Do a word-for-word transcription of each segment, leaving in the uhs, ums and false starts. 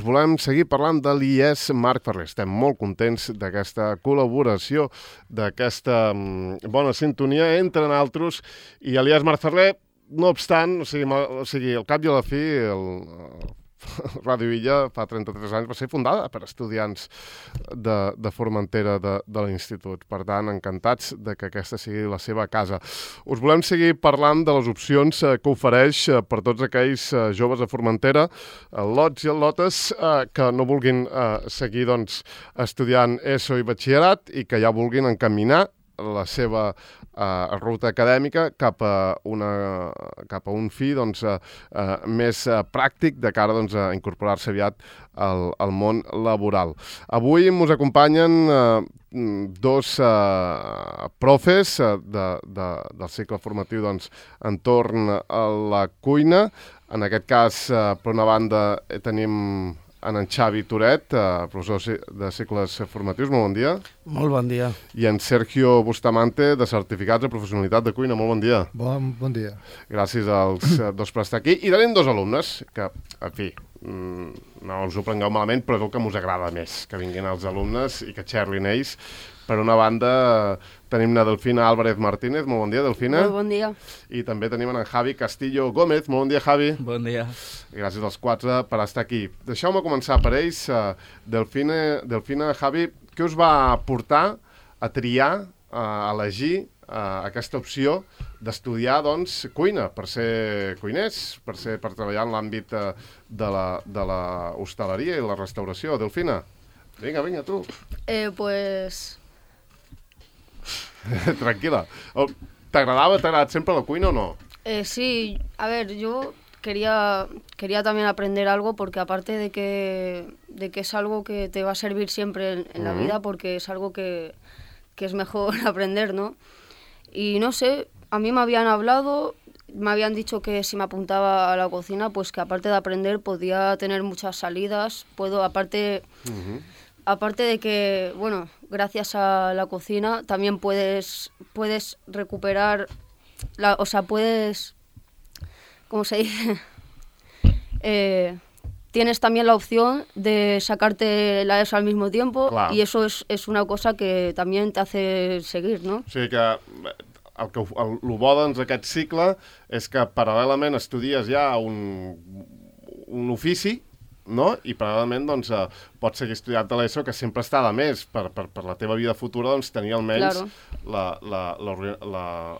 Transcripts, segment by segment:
volem seguir parlant de l'I E S Marc Ferrer. Estem molt contents d'aquesta col·laboració, d'aquesta bona sintonia entre nosaltres i l'I E S Marc Ferrer. No obstant, o sigui, o sigui, al cap i a la fi, el, el Ràdio Illa fa trenta-tres anys va ser fundada per estudiants de, de Formentera de, de l'institut. Per tant, encantats de que aquesta sigui la seva casa. Us volem seguir parlant de les opcions eh, que ofereix eh, per tots aquells eh, joves de Formentera, eh, lots i lotes, eh, que no vulguin eh, seguir doncs, estudiant ESO i batxillerat i que ja vulguin encaminar la seva uh, ruta acadèmica cap a, una, cap a un fi doncs, uh, uh, més uh, pràctic de cara doncs, a incorporar-se aviat al, al món laboral. Avui ens acompanyen uh, dos uh, profes uh, de, de, del cicle formatiu doncs, entorn a la cuina. En aquest cas, uh, per una banda, tenim en en Xavi Toret, eh, professor de cicles formatius, molt bon dia. Molt bon dia. I en Sergio Bustamante, de certificats de professionalitat de cuina, molt bon dia. Bon, bon dia. Gràcies als dos per estar aquí. I tenim dos alumnes, que, en fi, no us ho prengueu malament, però és el que us agrada més, que vinguin els alumnes i que xerlin ells. Per una banda, tenim la Delfina Álvarez Martínez. Molt bon dia, Delfina. Molt bon dia. I també tenim en Javi Castillo Gómez. Molt bon dia, Javi. Bon dia. I gràcies als quatre per estar aquí. Deixeu-me començar per ells. Uh, Delfina, Delfina, Javi, què us va portar a triar, uh, a elegir uh, aquesta opció d'estudiar doncs, cuina, per ser cuiners, per, ser, per treballar en l'àmbit uh, de, la, de la hostaleria i la restauració? Delfina, vinga, vinga, tu. Eh, pues... Tranquila. ¿T'agradaba, t'ha agradat sempre la cuina o no? Eh, sí, a ver, yo quería, quería también aprender algo porque aparte de que, de que es algo que te va a servir siempre en, en la Uh-huh. vida, porque es algo que, que es mejor aprender, ¿no? Y no sé, a mí me habían hablado, me habían dicho que si me apuntaba a la cocina, pues que aparte de aprender podía tener muchas salidas, puedo, aparte... Uh-huh. Aparte de que, bueno, gracias a la cocina también puedes, puedes recuperar, la, o sea, puedes, ¿cómo se dice? eh, tienes también la opción de sacarte la ESO al mismo tiempo. Clar. Y eso es, es una cosa que también te hace seguir, ¿no? O sigui que el que el, el bo doncs, d'aquest cicle és que paral·lelament estudies ja un, un ofici, no? I paral·lelament doncs, eh, pots seguir estudiant a l'ESO, que sempre està de més per, per, per la teva vida futura doncs, tenir almenys Claro.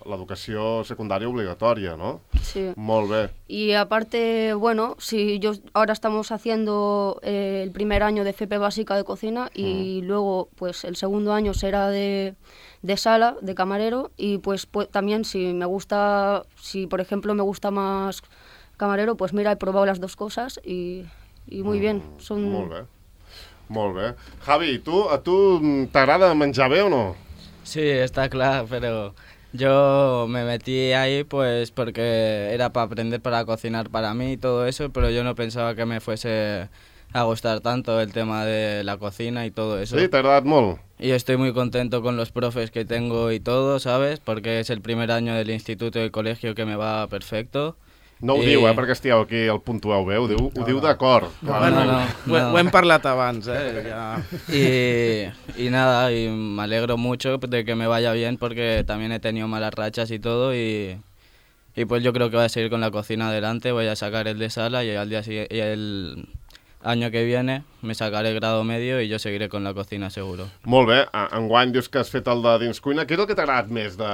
l'educació secundària obligatòria, ¿no? Sí. Molt bé. Y aparte, bueno, si yo ahora estamos haciendo eh, el primer año de F P básica de cocina y Mm. luego pues el segundo año será de, de sala, de camarero, y pues, pues también si me gusta, si por ejemplo me gusta más camarero, pues mira, he probado las dos cosas y... I muy bien. Son... Molt bé. Molt bé. Javi, tu, a tu t'agrada menjar bé o no? Sí, está claro, pero yo me metí ahí pues porque era para aprender para cocinar para mí y todo eso, pero yo no pensaba que me fuese a gustar tanto el tema de la cocina y todo eso. Sí, t'ha agradat molt? Y estoy muy contento con los profes que tengo y todo, ¿sabes? Porque es el primer año del instituto y colegio que me va perfecto. No ho I... diu, eh, perquè estigueu aquí, el puntueu bé, ho diu, ho No, diu no. d'acord. No, Bueno, no, no, Ho, no. ho hem parlat abans, eh? Ja. Y, y nada, y me alegro mucho de que me vaya bien porque también he tenido malas rachas y todo y, y pues yo creo que voy a seguir con la cocina adelante, voy a sacar el de sala y al día sigui- y el año que viene me sacaré grado medio y yo seguiré con la cocina seguro. Molt bé, a- enguany dius que has fet el de dins cuina. Què és el que t'ha agradat més de,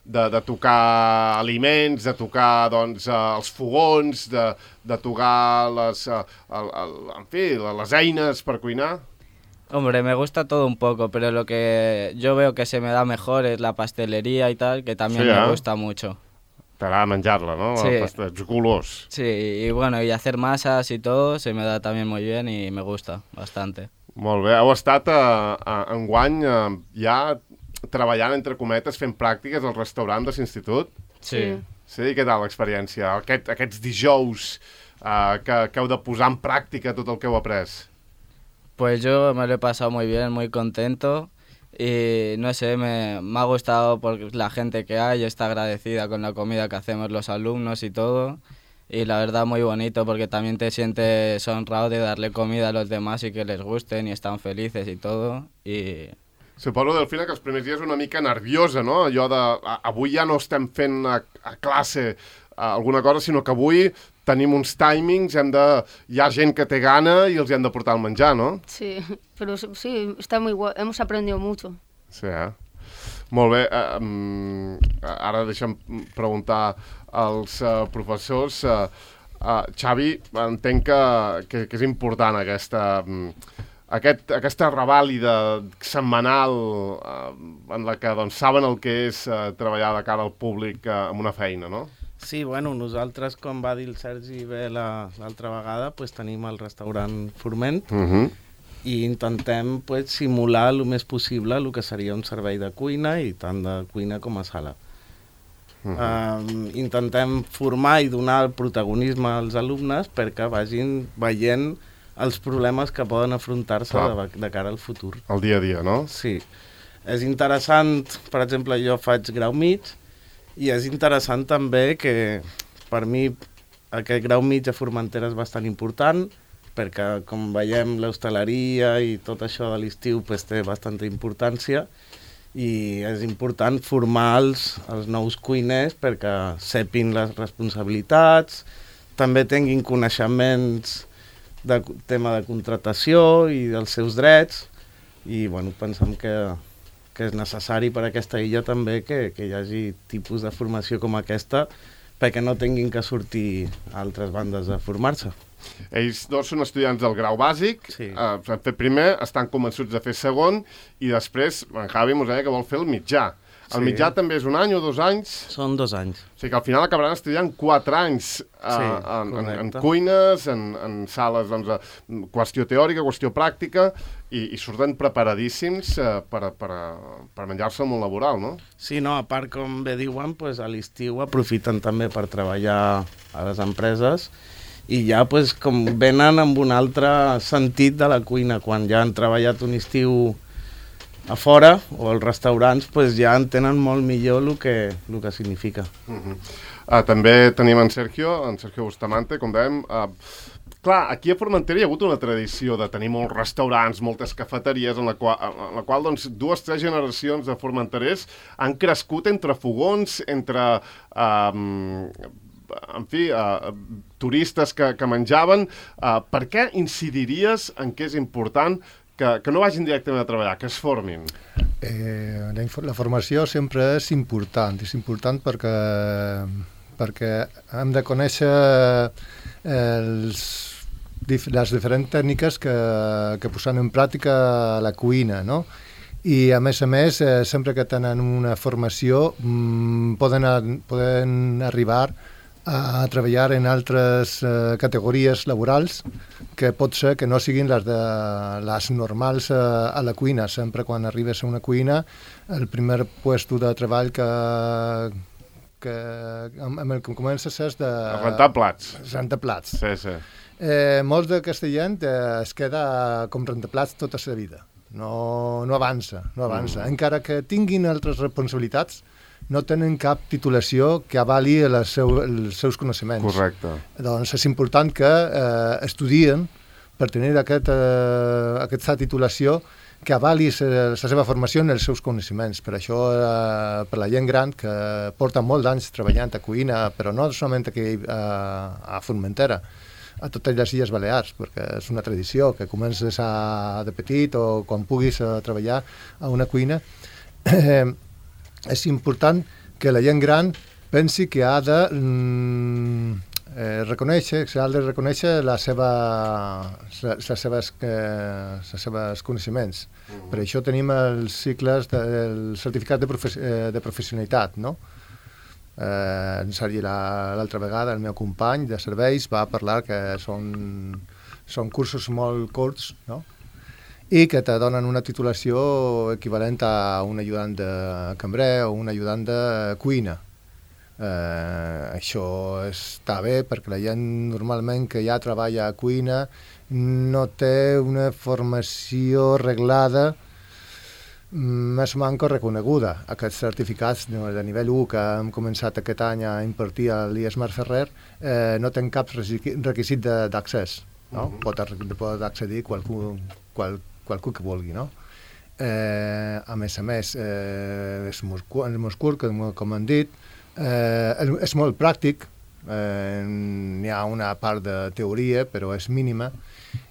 de, de tocar aliments, de tocar doncs, eh, els fogons, de, de tocar les, eh, el, el, en fi, les eines per cuinar? Hombre, me gusta todo un poco, pero lo que yo veo que se me da mejor es la pastelería y tal, que también Sí, ¿eh? me gusta mucho. T'agrada menjar-la, no? Sí. Els colors. Sí, y bueno, y hacer masas y todo se me da también muy bien y me gusta bastante. Molt bé. Heu estat a, a, enguany eh, ja treballant, entre cometes, fent pràctiques al restaurant de l'institut? Sí. Sí, què tal l'experiència? Aquest, aquests dijous eh, que, que heu de posar en pràctica tot el que heu après? Pues yo me lo he pasado muy bien, muy contento y no sé, me, me ha gustado porque la gente que hay está agradecida con la comida que hacemos los alumnos y todo y la verdad muy bonito porque también te sientes honrado de darle comida a los demás y que les gusten y están felices y todo. Y... Suposo, Delfina, que els primers dies una mica nerviosa, no? Allò de, a, avui ja no estem fent a, a classe a, alguna cosa, sinó que avui tenim uns timings, hem de, hi ha gent que té gana i els hi hem de portar el menjar, no? Sí, pero sí, está muy guay, hemos aprendido mucho. Sí, eh? Molt bé, eh, um, ara deixa'm preguntar als uh, professors. Uh, uh, Xavi, entenc que, que, que és important aquesta, um, aquest, aquesta revàlida setmanal uh, en la que doncs, saben el que és uh, treballar de cara al públic uh, amb una feina, no? Sí, bueno, nosaltres, com va dir el Sergi bé l'altra vegada, pues, tenim el restaurant Forment, Uh -huh. i intentem pues, simular el més possible el que seria un servei de cuina, i tant de cuina com a sala. Uh -huh. um, intentem formar i donar el protagonisme als alumnes perquè vagin veient els problemes que poden afrontar-se de, de cara al futur. El dia a dia, no? Sí. És interessant, per exemple, jo faig grau mig, i és interessant també que per mi aquest grau mig a Formentera és bastant important, perquè com veiem l'hostaleria i tot això de l'estiu pues, té bastanta importància, i és important formar els, els nous cuiners perquè sepin les responsabilitats, també tinguin coneixements de tema de contratació i dels seus drets, i bueno, pensem que, que és necessari per a aquesta illa també que, que hi hagi tipus de formació com aquesta perquè no tinguin que sortir a altres bandes a formar-se. Ells dos són estudiants del grau bàsic, sí. eh, han fet primer, estan convençuts de fer segon, i després en Javi mos deia que vol fer el mitjà. El sí. mitjà també és un any o dos anys? Són dos anys. O sigui que al final acabaran estudiant quatre anys eh, sí, en, en, en cuines, en, en sales, doncs, eh, qüestió teòrica, qüestió pràctica, i, i surten preparadíssims eh, per, per, per menjar-se el món laboral, no? Sí, no, a part, com bé diuen, pues, a l'estiu aprofiten també per treballar a les empreses, i ja pues, com venen amb un altre sentit de la cuina. Quan ja han treballat un estiu a fora o als restaurants, pues, ja entenen molt millor el que, el que significa. Uh -huh. uh, també tenim en Sergio, en Sergio Bustamante, com dèiem. Uh, clar, aquí a Formentera hi ha hagut una tradició de tenir molts restaurants, moltes cafeteries, en la qual, en la qual doncs, dues, tres generacions de formenterers han crescut entre fogons, entre... Uh, en fi, uh, turistes que, que menjaven. Uh, per què incidiries en què és important que, que no vagin directament a treballar, que es formin? Eh, la, la formació sempre és important, és important perquè, perquè hem de conèixer els, les diferents tècniques que, que posen en pràctica a la cuina, no? I a més a més, eh, sempre que tenen una formació mmm, poden, a, poden arribar a treballar en altres eh, categories laborals que pot ser que no siguin les, de, les normals eh, a la cuina. Sempre quan arribes a una cuina, el primer puesto de treball que, que amb, amb el que comences és de... Rentar plats. Rentar plats. Sí, sí. Eh, molts d'aquesta gent eh, es queda com rentar-plats tota la vida. No, no avança, no avança. Mm. Encara que tinguin altres responsabilitats, no tenen cap titulació que avali les seu, els seus coneixements. Correcte. Doncs és important que eh, estudien per tenir aquest, eh, aquesta titulació que avali la seva formació en els seus coneixements. Per això, eh, per la gent gran que porta molts anys treballant a cuina, però no solament aquí eh, a Formentera, a totes les Illes Balears, perquè és una tradició que comences a, de petit o quan puguis a treballar a una cuina. Eh, és important que la gent gran pensi que ha de mm, eh, reconèixer, que ha de reconèixer la seva, les seves, eh, les seves coneixements. Uh-huh. Per això tenim els cicles del certificat de, profe de professionalitat, no? Eh, l'altra vegada el meu company de serveis va parlar que són, són cursos molt curts, no? I que te donen una titulació equivalent a un ajudant de cambrer o un ajudant de cuina. Eh, això està bé perquè la gent normalment que ja treballa a cuina no té una formació reglada més manco reconeguda. Aquests certificats de nivell u que hem començat aquest any a impartir a l'I E S Marc Ferrer eh, no tenen cap requisit d'accés. No? Mm-hmm. Pot, pot accedir qualcú, qual, qualcú que vulgui. No? Eh, a més a més, eh, és molt curt, com han dit, eh, és molt pràctic, eh, n'hi ha una part de teoria, però és mínima,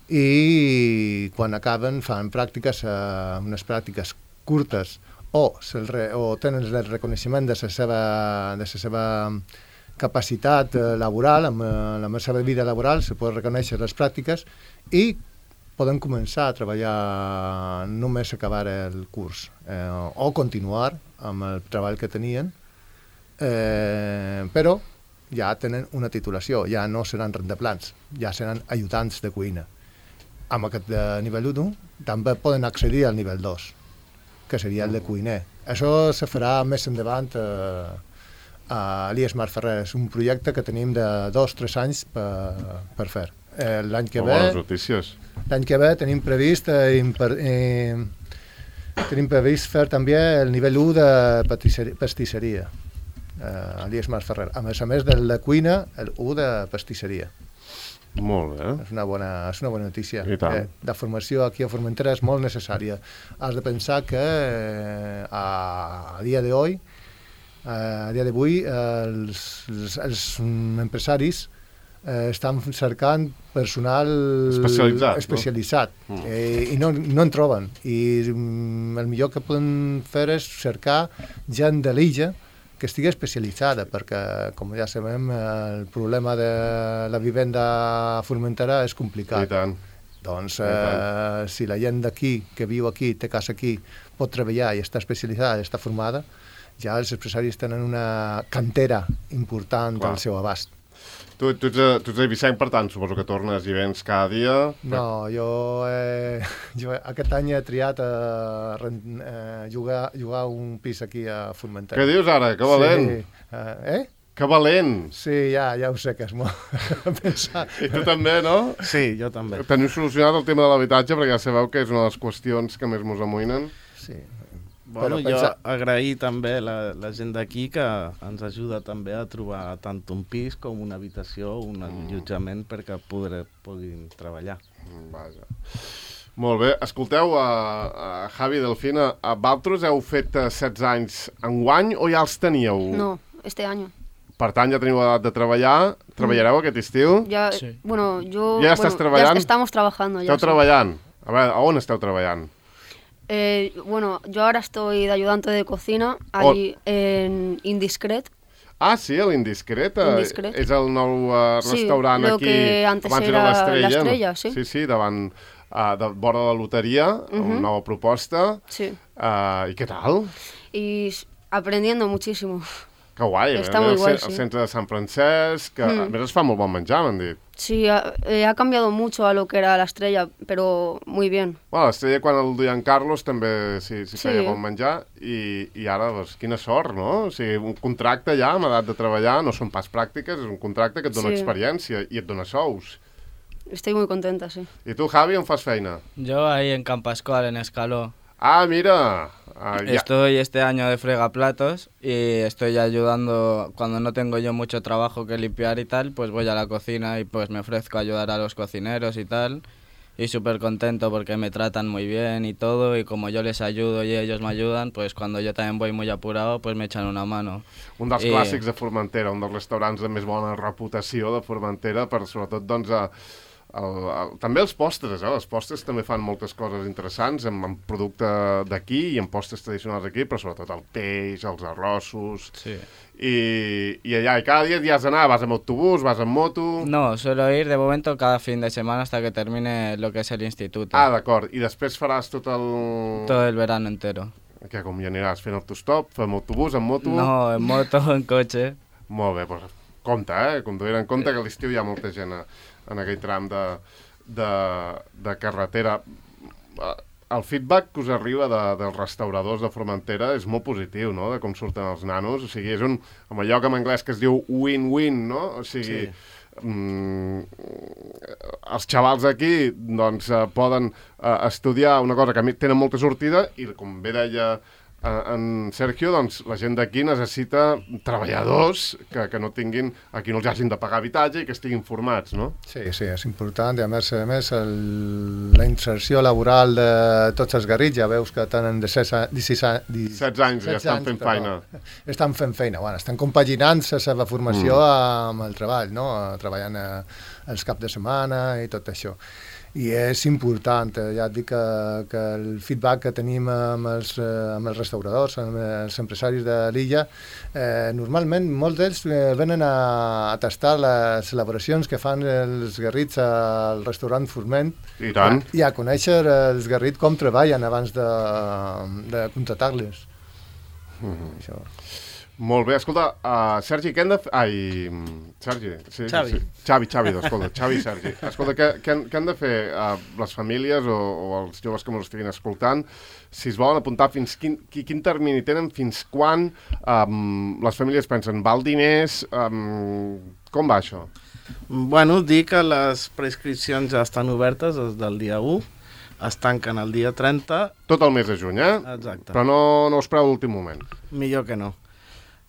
i quan acaben fan pràctiques, eh, unes pràctiques curtes o, re, o tenen el reconeixement de la seva, de la seva capacitat eh, laboral, amb eh, la seva vida laboral, se poden reconèixer les pràctiques i poden començar a treballar només acabar el curs eh, o continuar amb el treball que tenien, eh, però ja tenen una titulació, ja no seran rendeplans, ja seran ajudants de cuina. Amb aquest nivell u també poden accedir al nivell dos, que seria el de cuiner. Això se farà més endavant eh, a l'I E S Marc Ferrer. És un projecte que tenim de dos o tres anys per, per fer. Eh, l'any que ve... Bones notícies. L'any que ve tenim previst, eh, imper, eh, tenim previst fer també el nivell u de pastisseria eh, a l'I E S Marc Ferrer. A més a més del de cuina, el u de pastisseria. Molt bé. És una bona, és una bona notícia. I tant. Eh, la formació aquí a Formentera és molt necessària. Has de pensar que eh, a, a dia d'avui, eh, a dia d'avui, eh, els, els, els empresaris eh, estan cercant personal especialitzat, especialitzat no? Mm. eh, i no, no en troben. I mm, el millor que poden fer és cercar gent de l'illa que estigui especialitzada, perquè, com ja sabem, el problema de la vivenda a Formentera és complicat. I tant. Doncs, eh, si la gent d'aquí, que viu aquí, té casa aquí, pot treballar i està especialitzada i està formada, ja els empresaris tenen una cantera important Clar. al seu abast. Tu, tu, ets a, tu ets a Eivissent, per tant, suposo que tornes i vens cada dia. No, jo, eh, jo aquest any he triat a eh, jugar, jugar un pis aquí a Formentera. Què dius ara? Que valent! Sí. Uh, eh? Que valent! Sí, ja, ja ho sé que és molt pensar. I tu també, no? Sí, jo també. Teniu solucionat el tema de l'habitatge, perquè ja sabeu que és una de les qüestions que més mos amoïnen. Sí. Bueno, Però jo pensa... agrair també la, la gent d'aquí que ens ajuda també a trobar tant un pis com una habitació, un Mm. allotjament perquè poder, puguin treballar. Vaja. Molt bé. Escolteu, a, a Javi Delfina, a Valtros heu fet uh, setze anys enguany o ja els teníeu? No, este año. Per tant, ja teniu edat de treballar. Treballareu aquest estiu? Ya, Sí. bueno, yo... ¿Ya estás bueno, trabajando? estamos trabajando ya. Esteu sí. treballant? A veure, a on esteu treballant? Eh, bueno, yo ahora estoy de ayudante de cocina allí en Indiscret. Ah, sí, a l'Indiscret. eh, Indiscret. És el nou uh, Sí, restaurant lo aquí. que antes abans era l'Estrella. l'Estrella, sí. Sí, sí, davant, uh, de vora de la loteria, uh -huh. una nova proposta. Sí. Uh, I què tal? Y s- aprendiendo muchísimo. Que guai. Està eh? molt el, guai, ce- el sí. centre de Sant Francesc, que Mm. a més es fa molt bon menjar, m'han dit. Sí, ha, eh, ha cambiado mucho a lo que era la Estrella, pero muy bien. Bueno, l'Estrella, quan el duien Carlos, també s'hi sí, Sí. feia bon menjar, i, i ara, doncs, quina sort, no? O sigui, un contracte ja amb edat de treballar, no són pas pràctiques, és un contracte que et dona Sí. experiència i et dona sous. Estoy muy contenta, sí. I tu, Javi, on fas feina? Yo ahí en Campascual, en Escaló. Ah, mira! Ah, ja. Estoy este año de fregaplatos y estoy ayudando, cuando no tengo yo mucho trabajo que limpiar y tal, pues voy a la cocina y pues me ofrezco a ayudar a los cocineros y tal. Y súper contento porque me tratan muy bien y todo, y como yo les ayudo y ellos me ayudan, pues cuando yo también voy muy apurado, pues me echan una mano. Un dels I- clàssics de Formentera, un dels restaurants de més bona reputació de Formentera, per sobretot, doncs, a, el, el, també els postres, eh? Els postres també fan moltes coses interessants, amb, amb producte d'aquí i amb postres tradicionals d'aquí, però sobretot el peix, els arrossos... Sí. I, i allà, i cada dia hi has d'anar, vas amb autobús, vas amb moto... No, suelo ir de momento cada fin de semana hasta que termine lo que es el instituto. Ah, d'acord, i després faràs tot el... Todo el verano entero. Que com hi aniràs fent autostop, amb autobús, amb moto... No, en moto, en coche. Molt bé, doncs compte, eh? Conduir en compte que a l'estiu hi ha molta gent a, en aquell tram de, de, de carretera. El feedback que us arriba de, dels restauradors de Formentera és molt positiu, no?, de com surten els nanos. O sigui, és un, amb allò que en anglès que es diu win-win, no? O sigui, sí. mm, els xavals aquí doncs, eh, poden eh, estudiar una cosa que a mi tenen molta sortida i, com bé deia en Sergio, doncs la gent d'aquí necessita treballadors que, que no tinguin, aquí no els hagin de pagar habitatge i que estiguin formats, no? Sí, sí, és important i a més, a més el, la inserció laboral de tots els garrits, ja veus que tenen de setze anys ja estan fent feina. Estan fent feina, bueno, estan compaginant la seva formació mm. amb el treball, no? Treballant a, els caps de setmana i tot això. I és important, ja et dic que, que el feedback que tenim amb els, amb els restauradors, amb els empresaris de l'illa, eh, normalment molts d'ells venen a, a tastar les elaboracions que fan els garrits al restaurant Forment i, tant. i a conèixer els garrits com treballen abans de, de contractar-les. Mm-hmm. Això. Molt bé, escolta, uh, Sergi, què hem de fer... Ai, Sergi, sí, Xavi. Sí. Xavi, Xavi, escolta, Xavi i Sergi. Escolta, què, què, què han de fer uh, les famílies o, o els joves que ens estiguin escoltant si es volen apuntar fins quin, quin termini tenen, fins quan um, les famílies pensen, val diners, um, com va això? Bueno, dir que les prescripcions ja estan obertes des del dia u, es tanquen el dia trenta. Tot el mes de juny, eh? Exacte. Però no, no us preu l'últim moment. Millor que no.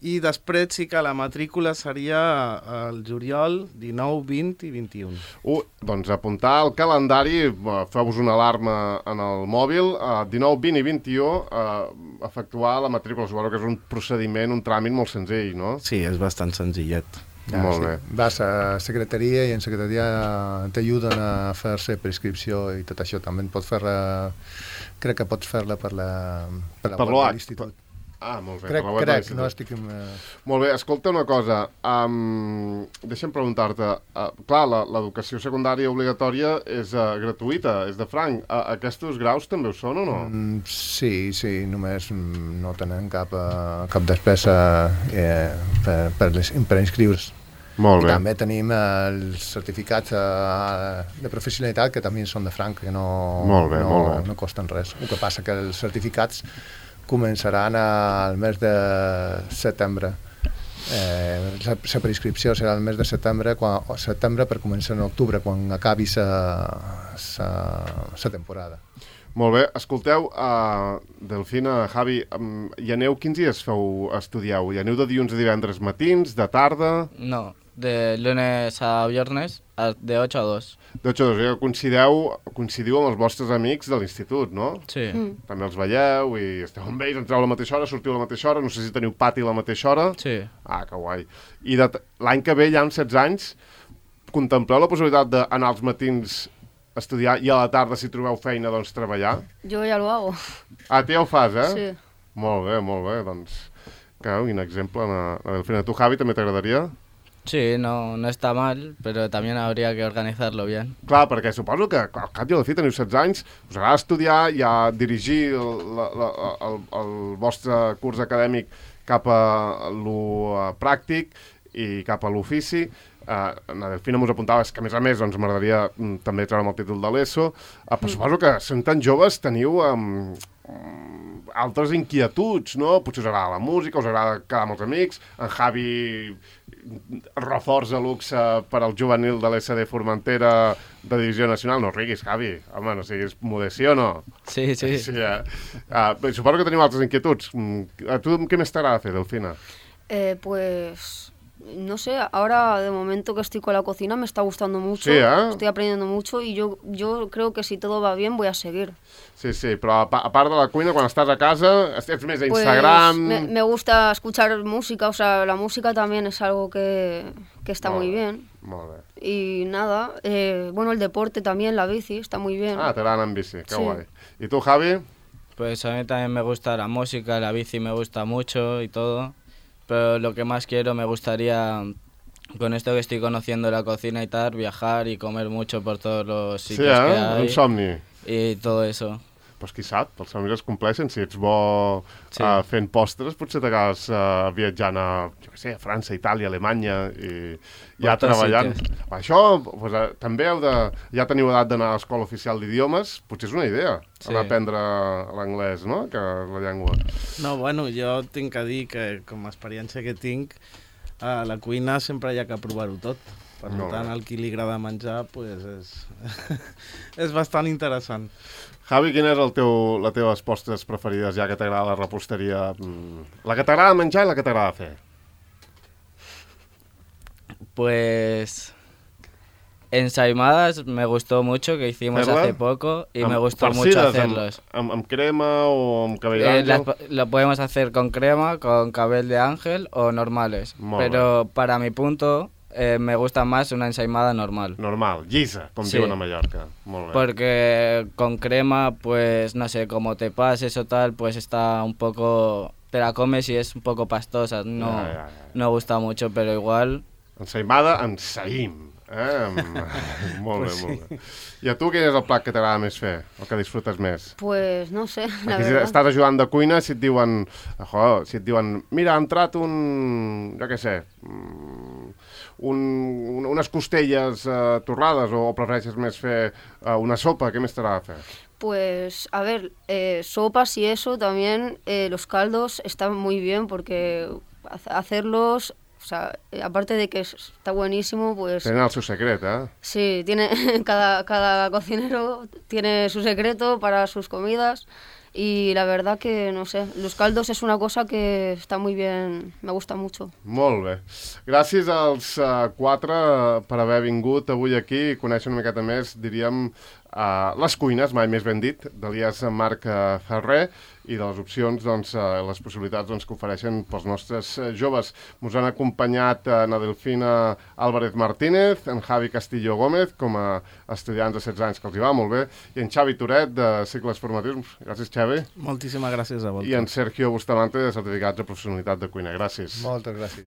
I després sí que la matrícula seria el juliol dinou, vint i vint-i-u. Uh, doncs apuntar al calendari, feu-vos una alarma en el mòbil, uh, dinou, vint i vint-i-u, uh, efectuar la matrícula. Suposo que és un procediment, un tràmit molt senzill, no? Sí, és bastant senzillet. Ja, molt sí. bé. Vas a secretaria i en secretaria t'ajuden a fer-se prescripció i tot això. També pots fer-la, crec que pots fer-la per la, per la per web de l'institut. Ah, molt bé. Crec, crec, no estic... Uh... Molt bé, escolta una cosa, um, deixa'm preguntar-te, uh, clar, l'educació secundària obligatòria és uh, gratuïta, és de franc, uh, aquests graus també ho són o no? Mm, sí, sí, només no tenen cap, uh, cap despesa eh, per, per, les, per inscriure's. Molt bé. I també tenim els certificats uh, de professionalitat que també són de franc, que no, molt bé, no, molt bé. no costen res. El que passa que els certificats començaran al mes de setembre. Eh, la, la prescripció serà el mes de setembre, quan, o setembre per començar en octubre, quan acabi la temporada. Molt bé, escolteu, uh, Delfina, Javi, um, hi aneu, quins dies feu, estudieu? Hi aneu de dilluns a divendres matins, de tarda? No, de lunes a viernes, de ocho a dos. De ocho a dos, ja coincideu, coincidiu amb els vostres amics de l'institut, no? Sí. Mm. També els veieu i esteu amb ells, entreu a la mateixa hora, sortiu a la mateixa hora, no sé si teniu pati a la mateixa hora. Sí. Ah, que guai. I l'any que ve, ja amb setze anys, contempleu la possibilitat d'anar als matins a estudiar i a la tarda, si trobeu feina, doncs treballar? Yo ya lo hago. Ah, tu ja ho fas, eh? Sí. Molt bé, molt bé, doncs... Claro, quin exemple, na, na Delfina. Tu, Javi, també t'agradaria? Sí, no, no está mal, pero también habría que organizarlo bien. Clar, perquè suposo que al cap i a la fi teniu setze anys, us agrada estudiar i a dirigir el, la, la, el, el vostre curs acadèmic cap a lo pràctic i cap a l'ofici. Uh, na Delfina m'us apuntava que a més a més doncs, m'agradaria mm, també treure'm el títol de l'ESO, uh, però suposo que sent tan joves teniu um, um, altres inquietuds, no? Potser us agrada la música, us agrada quedar amb els amics, en Javi reforç a luxe per al juvenil de l'S D Formentera de divisió nacional. No riguis, Javi, home, no siguis modestia o no? Sí, sí. sí uh, uh, suposo que teniu altres inquietuds. A tu què més t'agrada fer, Delfina? Eh, pues... No sé, ahora de momento que estoy con la cocina me está gustando mucho, sí, ¿eh? Estoy aprendiendo mucho y yo, yo creo que si todo va bien voy a seguir. Sí, sí, però a, a part de la cuina, quan estàs a casa, ets més a pues Instagram... Me, me gusta escuchar música, o sea, la música también es algo que, que está molt muy bé, bien. Molt bé. Y nada, eh, bueno, el deporte también, la bici, está muy bien. Ah, t'agrada anar en bici, que sí. guai. I tu, Javi? Pues a mí también me gusta la música, la bici me gusta mucho y todo, pero lo que más quiero, me gustaría... Con esto que estoy conociendo la cocina y tal, viajar y comer mucho por todos los sitios sí, eh? que hay. Un somni. Y todo eso. Pues qui sap, els somnis es compleixen. Si ets bo sí. uh, fent postres, potser t'acabes uh, viatjant a, jo què sé, a França, Itàlia, Alemanya i ja treballant. Sitios. Això, pues, uh, també heu de... Ja teniu edat d'anar a l'escola oficial d'idiomes, potser és una idea, sí. anar a aprendre l'anglès, no?, que és la llengua. No, bueno, jo tinc que dir que, com a experiència que tinc, a la cuina sempre hi ha que provar-ho tot. Per Molt tant, bé. al qui li agrada menjar, pues és, és bastant interessant. Javi, quina és el teu, les teves postres preferides, ja que t'agrada la reposteria? Mm, La que t'agrada menjar i la que t'agrada fer? Pues ensaimadas me gustó mucho, que hicimos ¿Hacerla? hace poco y me Amb gustó mucho farcides, hacerlos. Amb, amb, amb crema o amb cabell Eh, d'àngel? las- lo podemos hacer con crema, con cabell de ángel o normales. Molt Pero para mi punto eh, me gusta más una ensaimada normal. Normal, llisa, com Sí. diuen a Mallorca. Molt bé. Porque con crema, pues no sé, como te pases o tal, pues está un poco... Te la comes y es un poco pastosa. No, Ja, ja, ja. no gusta mucho, pero igual... Ensaïmada, ensaïm. Eh? Amb- molt bé, molt bé. I a tu quin és el plat que t'agrada més fer? El que disfrutes més? Pues no sé, la Aquí si verdad. estàs ajudant de cuina, si et diuen, jo, si et diuen, mira, ha entrat un, jo què sé, mm, un, un, unes costelles eh, torrades, o, o prefereixes més fer eh, una sopa, què més t'agrada fer? Pues, a ver, eh, sopas y eso también, eh, los caldos están muy bien porque ha- hacerlos, o sea, eh, aparte de que es- está buenísimo, pues Tenen el seu secret, eh? sí, tiene cada, cada cocinero tiene su secreto para sus comidas y la verdad que, no sé, los caldos es una cosa que está muy bien, me gusta mucho. Molt bé. Gràcies als uh, quatre uh, per haver vingut avui aquí i conèixer una miqueta més, diríem, uh, les cuines, mai més ben dit, d'Elias Marc uh, Ferrer i de les opcions, doncs, uh, les possibilitats doncs, que ofereixen pels nostres uh, joves. Ens han acompanyat uh, na Delfina Álvarez Martínez, en Javi Castillo Gómez, com a estudiants de setze anys, que els hi va molt bé, i en Xavi Toret, de cicles formatius. Gràcies, Xavi. Moltíssimes gràcies a vosaltres. I en Sergio Bustamante, de certificats de professionalitat de cuina. Gràcies. Moltes gràcies.